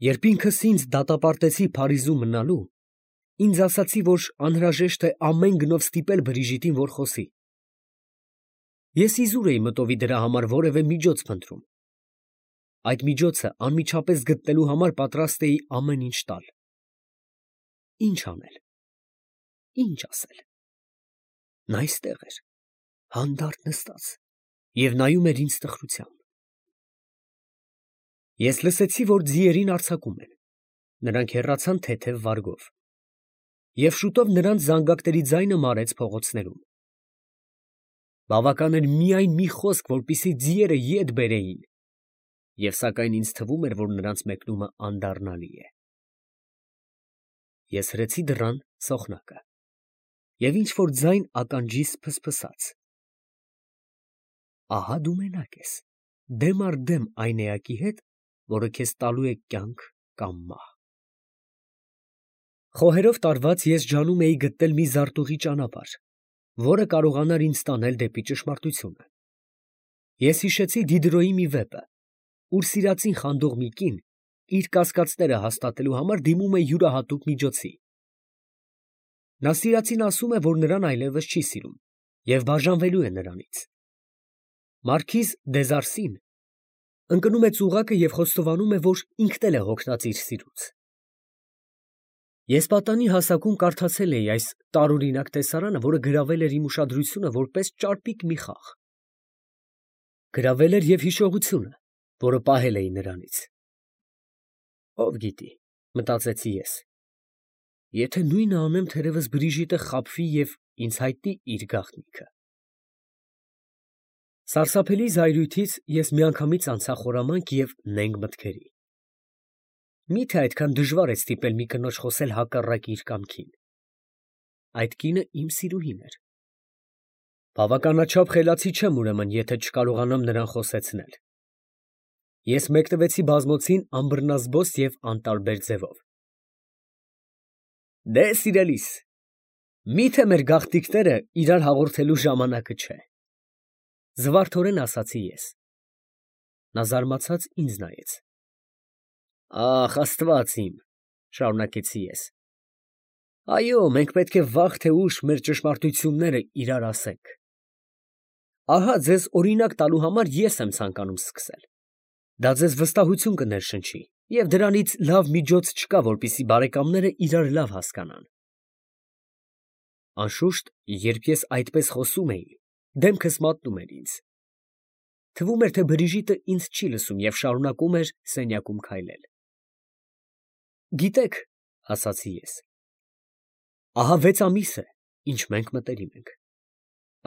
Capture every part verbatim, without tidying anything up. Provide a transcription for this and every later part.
Երբ ինքս ինձ դատապարտեցի Փարիզում մնալու, ինձ ասացի, որ անհրաժեշտ է ամեն գնով ստիպել Բրիժիտին, որ խոսի։ Ես իզուր էի մտովի դրա համար որևէ միջոց փնտրում։ Այդ միջոցը անմիջապես գտնելու համար պատրաստ էի ամեն ինչ տալ։ Ինչ անել, ինչ ասել։ Նա այստեղ էր, հանդարտ նստած, և նայում էր ինձ տխրությամբ։ Ես լսեցի, որ ձիերին արձակում են, նրանք հեռացան թեթև վարգով, և շուտով նրանց զանգակների ձայնը մարեց փողոցներում։ Բավական էր միայն մի խոսք, որպեսզի ձիերը ետ բերեին, և սակայն ինձ թվում էր, որ նրանց մեկնումը անդառնալի է։ Ես հրեցի դռան սոխնակը, և ինչ֊որ ձայն ականջիս փսփսաց։ Ահա դու մենակ ես, դեմ առ դեմ այն էակի հետ, որը քեզ տալու է կյանք կամ մահ։ Խոհերով տարված ես ջանում էի գտնել մի զարտուղի ճանապարհ, որը կարողանար ինձ տանել դեպի ճշմարտությունը։ Ես հիշեցի Դիդրոյի մի վեպը, ուր սիրածին խանդող մի կին իր կասկածները հաստատելու համար դիմում է յուրահատուկ միջոցի։ Նա սիրածին ասում է, որ նրան այլևս չի սիրում և բաժանվելու է նրանից։ Մարքիզ Դեզարսին ընկնում է ծուղակը և խոստովանում է, որ ինքն էլ է հոգնած իր սիրուց։ Ես պատանի հասակում կարդացել էի այս տարօրինակ տեսարանը, որը գրավել էր իմ ուշադրությունը որպես ճարպիկ մի խաղ։ Գրավել էր և հիշողությունը, որը պահել էի նրանից։ Ով գիտի, մտածեցի ես, եթե նույնը անեմ, թերևս Բրիժիտը խաբվի և ինձ հայտնի իր գաղտնիքը։ Սարսափելի զայրույթից ես միանգամից անցա խորամանկ և նենգ մտքերի։ Մի՞թե այդքան դժվար է ստիպել մի կնոջ խոսել հակառակ իր կամքին։ Այդ կինը իմ սիրուհին էր։ Բավականաչափ խելացի չեմ ուրեմն, եթե չկարողանամ նրան խոսեցնել։ Ես մեկնվեցի բազմոցին անբռնազբոս և անտարբեր ձևով։ Դե, սիրելիս, մի՞թե մեր գաղտնիքները իրար հաղորդելու ժամանակը չէ։ Զվարթորեն ասացի ես։ Նա զարմացած ինձ նայեց։ Ախ, Աստված իմ, շարունակեցի ես, այո, մենք պետք է վաղ թե ուշ մեր ճշմարտությունները իրար ասենք։ Ահա ձեզ օրինակ տալու համար ես եմ ցանկանում սկսել։ Դա ձեզ վստահություն կներշնչի, և դրանից լավ միջոց չկա, որպեսզի բարեկամները իրար լավ հասկանան։ Անշուշտ, երբ ես այդպես խոսում էի, դեմքս մատնում էր ինձ։ Թվում էր, թե Բրիժիտը ինձ չի լսում և շարունակում էր սենյակում քայլել։ Գիտեք, ասացի ես, ահա վեց ամիս է, ինչ մենք մտերիմ ենք։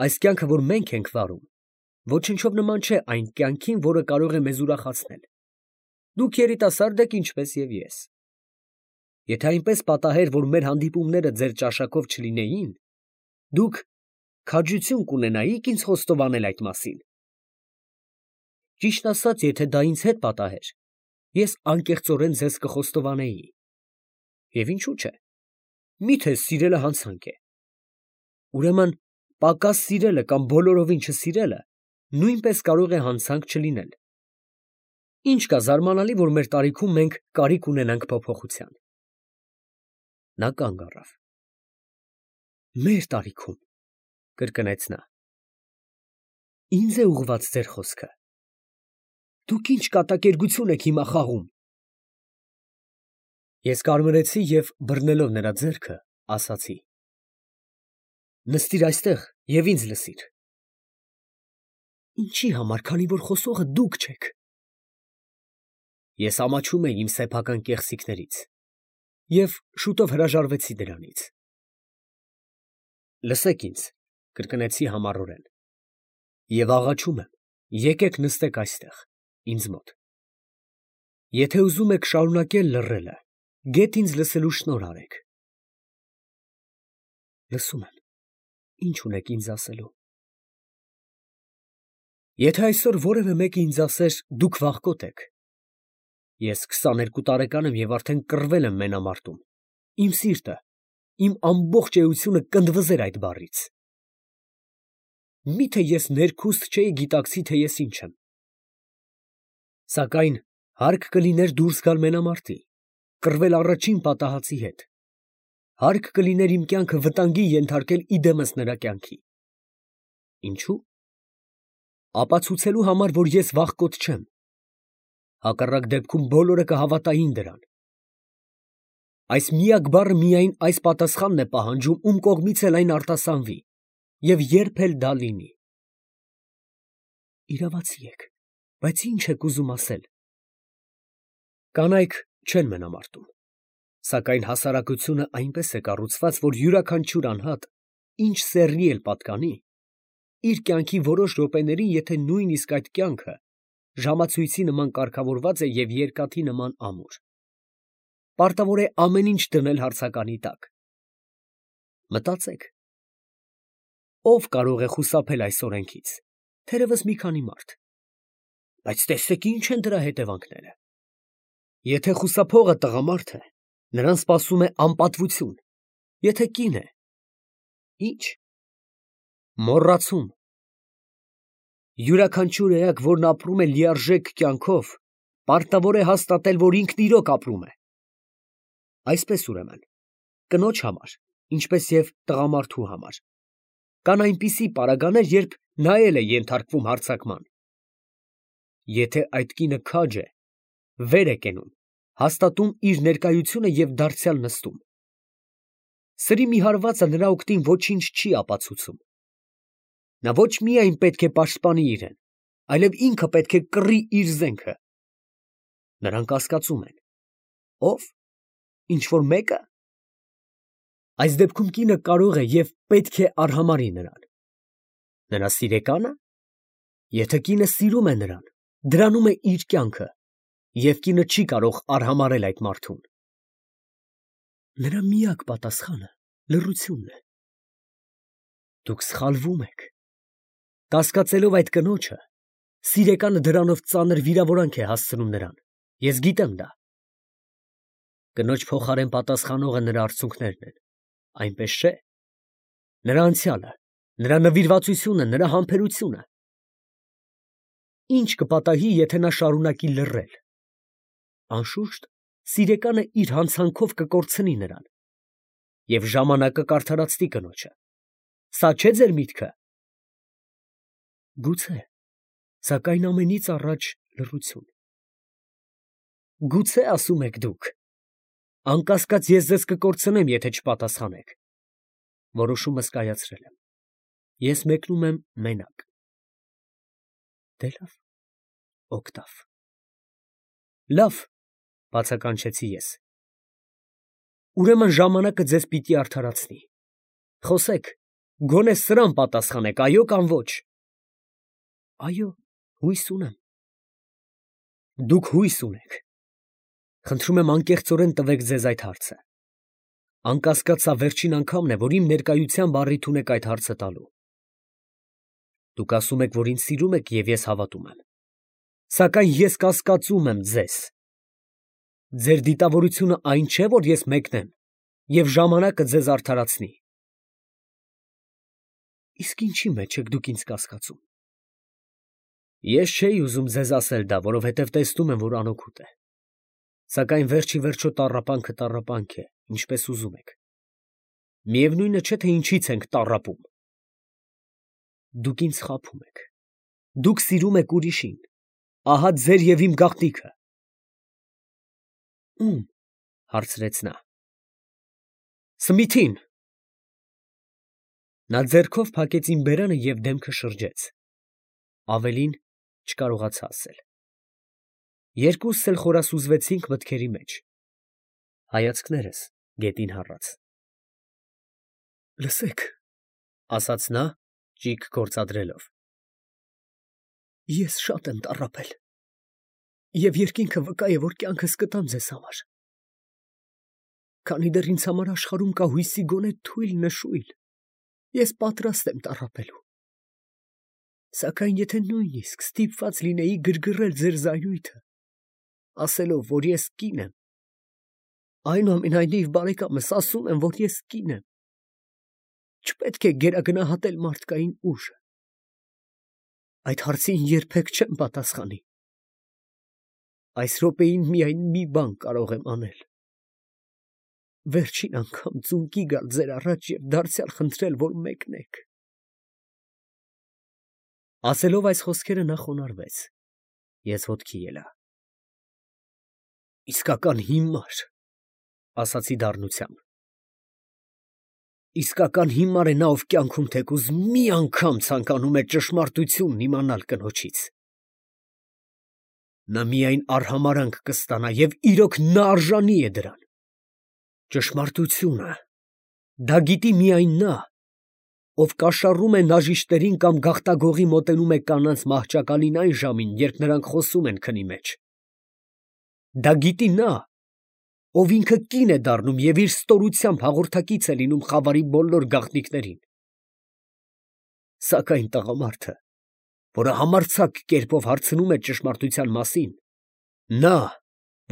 Այս կյանքը, որ մենք ենք վարում, ոչնչով նման չէ այն կյանքին, որը կարող է մեզ ուրախացնել։ Դուք երիտասարդ եք, ինչպես և ես։ Եթե այնպես պատահեր, որ մեր հանդիպումները ձեր ճաշակով չլինեին, դուք քաջություն կունենայիք ինձ խոստովանել այդ մասին։ Ճիշտն ասած, եթե դա ինձ հետ պատահեր, ես անկեղծորեն ձեզ կխոստովանեի։ Եվ ինչու՞ չէ, միթե սիրելը հանցանք է։ Ուրեմն պակաս սիրելը կամ բոլորովին չսիրելը նույնպես կարող է հանցանք չլինել։ Ինչ կա զարմանալի, որ մեր տարիքում մենք կարիք ունենանք փոփոխության։ Նա կանգ առավ։ Մեր տարիքում, կրկնեց նա։ Ինձ է ուղղված ձեր խոսքը։ Դուք ինչ կատակերգություն եք հիմա խաղում։ Ես կարմրեցի և բռնելով նրա ձեռքը, ասացի. Նստիր այստեղ և ինձ լսիր։ Ինչի համար, քանի որ խոսողը դուք չեք։ Ես ամաչում էի իմ սեփական կեղծիքներից և շուտով հրաժարվեցի դրանից։ Լսեք ինձ, կրկնեցի համառորեն, և աղաչում եմ, եկեք նստեք այստեղ, ինձ մոտ։ Եթե ուզում եք շարունակել լռելը, գեթ ինձ լսելու շնորհ արեք։ Լսում եմ, ինչ ունեք ինձ ասելու։ Եթե այսօր որևէ մեկը ինձ ասեր, դուք վախկոտ եք, ես քսաներկու տարեկան եմ և արդեն կռվել եմ մենամարտում, իմ սիրտը, իմ ամբողջ էությունը կնդվզեր այդ բառից։ Միթե ես ներքուստ չէի գիտակցի, թե ես ինչ եմ։ Սակայն հարկ կլիներ դուրս գալ մենամարտի, կռվել առաջին պատահածի հետ։ Հարկ կլիներ իմ կյանքը վտանգի ենթարկել իդեմս նրա կյանքի։ Ինչու՞։ Ապացուցելու համար, որ ես վախկոտ չեմ։ Հակառակ դեպքում բոլորը կհավատային դրան։ Այս միակ բառը միայն այս պատասխանն է պահանջում, ում կողմից էլ այն արտասանվի, և երբ էլ դա լինի։ Իրավացի եք, բայց ի՞նչ եք ուզում ասել։ Կանայք չեն մենամարտում, սակայն հասարակությունը այնպես է կառուցված, որ յուրաքանչյուր անհատ, ինչ սեռի էլ պատկանի, իր կյանքի որոշ րոպեներին, եթե նույնիսկ այդ կյանքը ժամացույցի նման կարգավորված է և երկաթի նման ամուր, պարտավոր է ամեն ինչ դնել հարցականի տակ։ Մտածեք, ո՞վ կարող է խուսափել այս օրենքից, թերևս մի քանի մարդ, բայց տեսեք ինչ են դրա հետևանքները։ Եթե խուսափողը տղամարդ է, նրան սպասում է անպատվություն, եթե կին է, ի՞նչ։ Մոռացում։ Յուրաքանչյուր էակ, որն ապրում է լիարժեք կյանքով, պարտավոր է հաստատել, որ ինքն իրոք ապրում է։ Այսպես ուրեմն, կնոջ համար, ինչպես և տղամարդու համար, կան այնպիսի պարագաներ, երբ նա էլ է ենթարկվում հարձակման։ Եթե այդ կինը քաջ է, վեր է կենում, հաստատում իր ներկայությունը և դարձյալ նստում։ Սրի մի հարվածը նրա օգտին ոչինչ չի ապացուցում։ Նա ոչ միայն պետք է պաշտպանի իրեն, այլև ինքը պետք է կռի իր զենքը։ Նրանք կասկածում են. ո՞վ, ինչ֊որ մեկը։ Այս դեպքում կինը կարող է և պետք է արհամարհի նրան։ Նրա սիրեկա՞նը։ Եթե կինը սիրում է նրան, դրանում է իր կյանքը, և կինը չի կարող արհամարհել այդ մարդուն։ Նրա միակ պատասխանը լռությունն է։ Դուք սխալվում եք։ Կասկածելով այդ կնոջը, սիրեկանը դրանով ծանր վիրավորանք է հասցնում նրան, ես գիտեմ դա։ Կնոջ փոխարեն պատասխանողը նրա արցունքներն են, այնպես չէ։ Նրա անցյալը, նրա նվիրվածությունը, նրա համբերությունը։ Ինչ կպատահի, եթե նա շարունակի լռել։ Անշուշտ, սիրեկանը իր հանցանքով կկորցնի նրան, և ժամանակը կարդարացնի կնոջը։ Սա չէ՞ ձեր միտքը։ Գուցե, սակայն ամենից առաջ լռություն։ Գուցե, ասում եք դուք։ Անկասկած ես ձեզ կկորցնեմ, եթե չպատասխանեք։ Որոշումս կայացրել եմ։ Ես մեկնում եմ մենակ։ Դե լավ, օգտավ։ Լավ, բացականչեցի ես։ Ուրեմն ժամանակը ձեզ պիտի արդարացնի։ Խոսեք, գոնե սրան պատասխանեք, այո կամ ոչ։ Այո, հույս ունեմ։ Դուք հույս ունեք։ Խնդրում եմ անկեղծորեն տվեք ձեզ այդ հարցը։ Անկասկած սա վերջին անգամն է, որ իմ ներկայությամբ առիթ ունեք այդ հարցը տալու։ Դուք ասում եք, որ ինձ սիրում եք, և ես հավատում եմ։ Սակայն ես կասկածում եմ ձեզ։ Ձեր դիտավորությունը այն չէ, որ ես մեկնեմ, և ժամանակը ձեզ արդարացնի։ Իսկ ինչի մեջ եք դուք ինձ կասկածում։ Ես չէի ուզում ձեզ ասել դա, որովհետև տեսնում եմ, որ անօգուտ է։ Սակայն վերջ ի վերջո տառապանքը տառապանք է, ինչպես ուզում եք։ Միևնույնը չէ, թե ինչից ենք տառապում։ Դուք ինձ խաբում եք։ Դուք սիրում եք ուրիշին։ Ահա ձեր և իմ գաղտնիքը։ Ո՞ւմ, հարցրեց նա։ Սմիթին։ Նա ձեռքով փակեց իմ բերանը և դեմքը շրջեց։ Ավելին չկարողացա ասել։ Երկուսս էլ խորասուզվեցինք մտքերի մեջ։ Հայացքներս գետին հառած։ Լսեք, ասաց նա, ճիգ գործադրելով։ Ես շատ եմ տառապել, և երկինքը վկա է, որ կյանքս կտամ ձեզ համար։ Քանի դեռ ինձ համար աշխարհում կա հույսի գոնե թույլ նշույլ, ես պատրաստ եմ տառապելու։ Սակայն եթե նույնիսկ ստիպված լինեի գրգռել ձեր զայրույթը, ասելով, որ ես կին եմ, այնուամենայնիվ, բարեկամս, ասում եմ, որ ես կին եմ, չպետք է գերագնահատել մարդկային ուժը։ Այդ հարցին երբեք չեմ պատասխանի։ Այս րոպեին միայն մի բան կարող եմ անել։ վերջին անգամ ծունկի գալ ձեր առաջ և դարձյալ խնդրել, որ մեկնեք։ Ասելով այս խոսքերը նա խոնարհվեց։ Ես ոտքի ելա։ Իսկական հիմար, ասացի դառնությամբ։ Իսկական հիմար է նա, ով կյանքում թեկուզ մի անգամ ցանկանում է ճշմարտությունն իմանալ կնոջից։ Նա միայն արհամարհանք կստանա և իրոք նա արժանի է դրան։ Ճշմարտությունը, դա գիտի միայն նա, ով կաշառում է նաժիշտերին կամ գաղտագողի մոտենում է կանանց մահճակալին այն ժամին, երբ նրանք խոսում են քնի մեջ։ Դա գիտի նա, ով ինքը կին է դառնում և իր ստորությամբ հաղորդակից է լինում խավարի բոլոր գաղտնիքներին։ Սակայն տղամարդը, որը համարձակ կերպով հարցնում է ճշմարտության մասին, նա,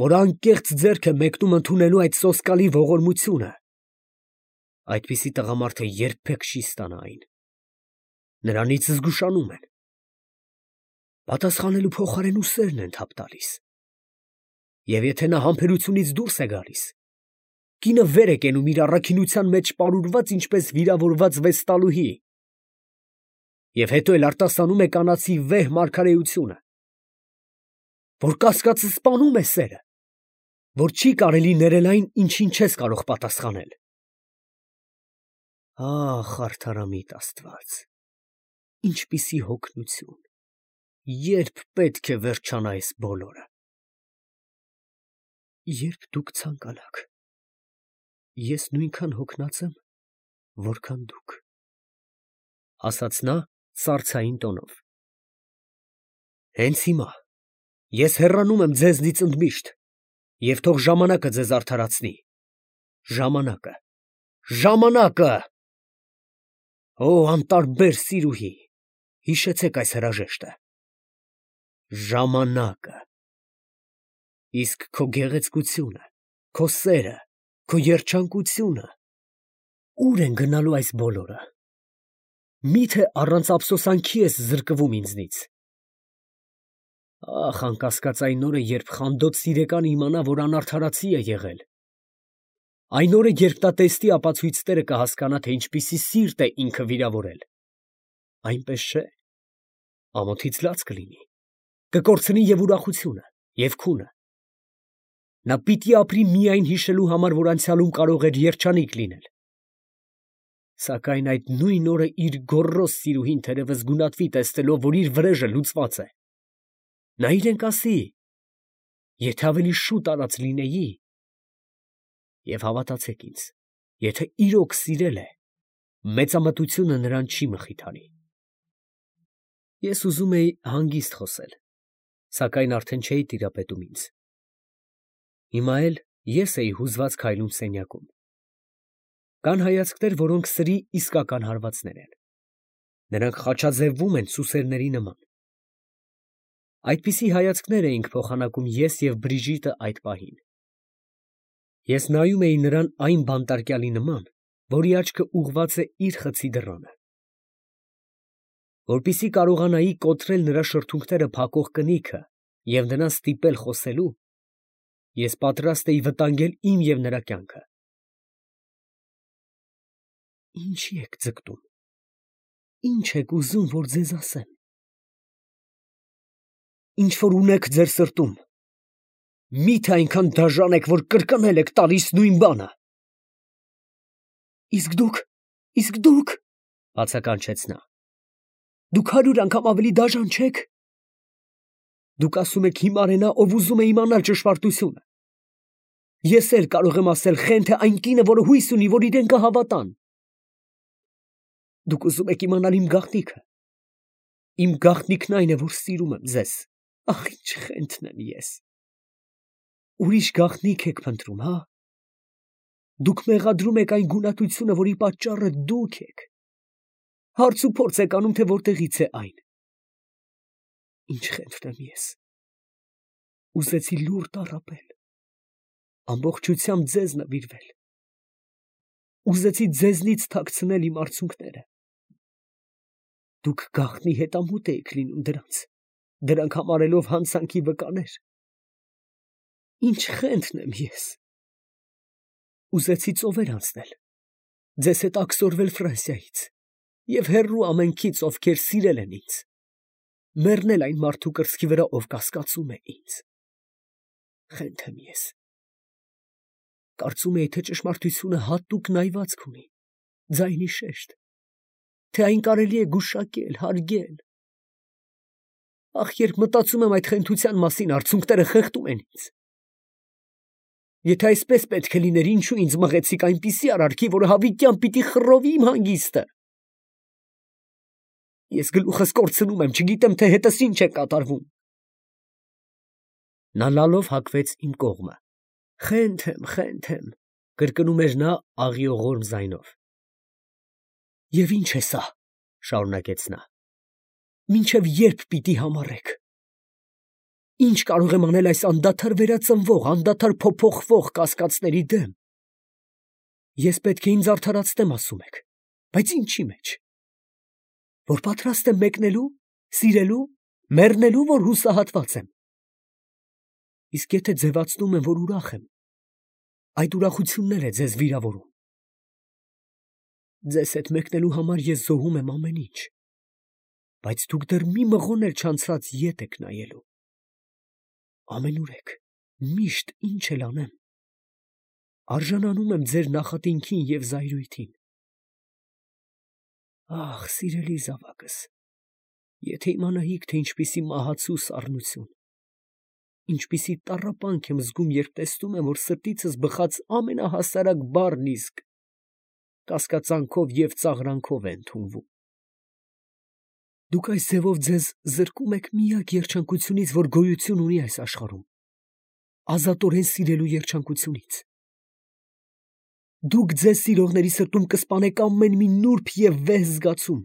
որ անկեղծ ձեռք է մեկնում ընդունելու այդ սոսկալի ողորմությունը, այդպիսի տղամարդը երբեք չի ստանա այն։ Նրանից զգուշանում են։ Պատասխանելու փոխարեն ուսերն են թափ տալիս։ Եվ եթե նա համբերությունից դուրս է գալիս, կինը վեր է կենում իր առաքինության մեջ պարուրված ինչպես վիրավորված վեստալուհի, և հետո էլ արտասանում է կանացի վեհ մարգարեությունը, որ կասկածը սպանում է սերը, որ չի կարելի ներել այն, ինչին չես կարող պատասխանել։ Ահ, արդարամիտ Աստված, ինչպիսի հոգնություն, երբ պետք է վերջանա այս բոլորը։ Երբ դուք ցանկանաք, ես նույնքան հոգնած եմ, որքան դուք, ասաց նա սառցային տոնով։ Հենց հիմա ես հեռանում եմ ձեզնից ընդմիշտ, և թող ժամանակը ձեզ արդարացնի։ Ժամանակը, ժամանակը… Օ, անտարբեր սիրուհի, հիշեցեք այս հրաժեշտը։ Ժամանակը… Իսկ քո գեղեցկությունը, քո սերը, քո երջանկությունը, ո՞ւր են գնալու այս բոլորը։ Մի՞թե առանց ափսոսանքի ես զրկվում ինձնից։ Ախ, անկասկած այն օրը, երբ խանդոտ սիրեկանը իմանա, որ անարդարացի է եղել։ Այն օրը, երբ նա տեսնի ապացույցները, կհասկանա, թե ինչպիսի սիրտ է ինքը վիրավորել։ Այնպես չէ, ամոթից լաց կլինի, կկորցնի և ուրախությունը, և քունը։ Նա պիտի ապրի միայն հիշելու համար, որ անցյալում կարող էր երջանիկ լինել։ Սակայն այդ նույն օրը իր գոռոզ սիրուհին թերևս գունատվի, տեսնելով, որ իր վրեժը լուծված է։ Նա իրեն կասի. եթե ավելի շուտ արած լինեի… Եվ հավատացեք ինձ, եթե իրոք սիրել է, մեծամտությունը նրան չի մխիթարի։ Ես ուզում էի հանգիստ խոսել, սակայն արդեն չէի տիրապետում ինձ։ Հիմա էլ ես էի հուզված քայլում սենյակում։ Կան հայացքներ, որոնք սրի իսկական հարվածներ են։ Նրանք խաչաձևվում են սուսերների նման։ Այդպիսի հայացքներ էինք փոխանակում ես և Բրիժիտը այդ պահին։ Ես նայում էի նրան այն բանտարկյալի նման, որի աչքը ուղղված է իր խցի դռանը։ Որպեսզի կարողանայի կոտրել նրա շրթունքները փակող կնիքը և նրան ստիպել խոսելու, ես պատրաստ էի վտանգել իմ և նրա կյանքը։ Ինչի եք ձգտում, ինչ եք ուզում, որ ձեզ ասեմ։ Ինչ որ ունեք ձեր սրտում, մի՞թե այնքան դաժան եք, որ կրկնել եք տալիս նույն բանը։ Իսկ դուք, իսկ դուք… բացականչեց նա։ Դուք հարյուր անգամ ավելի դաժան չեք։ Դուք ասում եք հիմար է նա, ով ուզում է իմանալ ճշմարտությունը։ Ես էլ կարող եմ ասել խենթ է այն կինը, որը հույս ունի, որ իրեն կհավատան։ Դուք ուզում եք իմանալ իմ գաղտնիքը։ Իմ գաղտնիքն այն է, որ սիրում եմ ձեզ։ Ախ, ինչ խենթն եմ ես։ Ուրիշ գաղտնիք եք փնտրում, հա։ Դուք մեղադրում եք այն գունատությունը, որի պատճառը դուք եք։ Հարց ու փորձ եք անում, թե որտեղից է այն։ Ինչ խենթն եմ ես։ Ուզեցի լուռ տառապել, ամբողջությամբ ձեզ նվիրվել։ Ուզեցի ձեզնից թաքցնել իմ արցունքները։ Դուք գաղտնի հետամուտ էիք լինում դրանց, դրանք համարելով հանցանքի վկաներ։ Ինչ խենթն եմ ես։ Ուզեցի ծովեր անցնել, ձեզ հետ աքսորվել Ֆրանսիայից և հեռու ամենքից, ովքեր սիրել են ինձ, մեռնել այն մարդու կրծքի վրա, ով կասկածում է ինձ։ Խենթ եմ ես։ Կարծում էի, թե ճշմարտությունը հատուկ նայվածք ունի, ձայնի շեշտ, թե այն կարելի է գուշակել, հարգել։ Ախ, երբ մտածում եմ այդ խենթության մասին, արցունքները խեղդում են ինձ։ Եթե այսպես պետք է լիներ, ինչու ինձ մղեցիք այնպիսի արարքի, որը հավիտյան պիտի խռովի իմ հանգիստը։ Ես գլուխս կորցնում եմ, չգիտեմ, թե հետս ինչ է կատարվում։ Նա լալով հագվեց իմ կողմը։ Խենթ եմ, խենթ եմ, կրկնում էր նա աղիողորմ ձայնով։ Եվ ինչ է սա, շարունակեց նա, մինչև երբ պիտի համառեք։ Ինչ կարող եմ անել այս անդադար վերածնվող, անդադար փոփոխվող կասկածների դեմ։ Ես պետք է ինձ արդարացնեմ, ասում եք, բայց ինչի մեջ։ Որ պատրաստ եմ մեկնելու, սիրելու, մեռնելու, որ հուսահատված եմ։ Իսկ եթե ձևացնում եմ, որ ուրախ եմ, այդ ուրախությունն էլ է ձեզ վիրավորում։ Ձեզ հետ մեկնելու համար ես զոհում եմ ամեն ինչ, բայց դուք դեռ մի մղոն էլ չանցած ետ եք նայելու։ Ամենուր եք, միշտ ինչ էլ անեմ, արժանանում եմ ձեր նախատինքին և զայրույթին։ Ախ, սիրելի զավակս, եթե իմանայիք, թե ինչպիսի մահացու սառնություն, ինչպիսի տառապանք եմ զգում, երբ տեսնում եմ, որ սրտիցս բխած ամենահասարակ բառն իսկ կասկածանքով և ծաղրանքով է ընդունվում։ Դուք այս ձևով ձեզ զրկում եք միակ երջանկությունից, որ գոյություն ունի այս աշխարհում, ազատորեն սիրելու երջանկությունից։ Դուք ձեզ սիրողների սրտում կսպանեք ամեն մի նուրբ և վեհ զգացում։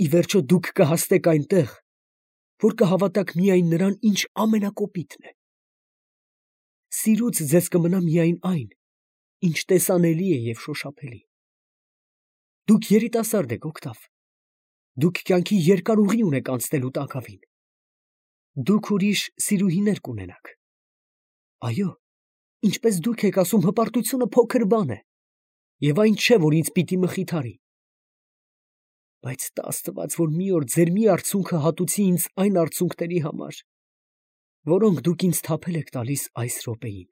Ի վերջո դուք կհասնեք այնտեղ, որ կհավատաք միայն նրան, ինչ ամենակոպիտն է։ Սիրուց ձեզ կմնա միայն այն, ինչ տեսանելի է և շոշափելի։ Դուք երիտասարդ եք, Օգտավ։ Դուք կյանքի երկար ուղի ունեք անցնելու տակավին։ Դուք ուրիշ սիրուհիներ կունենաք։ Այո, ինչպես դուք եք ասում, հպարտությունը փոքր բան է, և այն չէ, որ ինձ պիտի մխիթարի։ Բայց տա Աստված, որ մի օր ձեր մի արցունքը հատուցի ինձ այն արցունքների համար, որոնք դուք ինձ թափել եք տալիս այս րոպեին։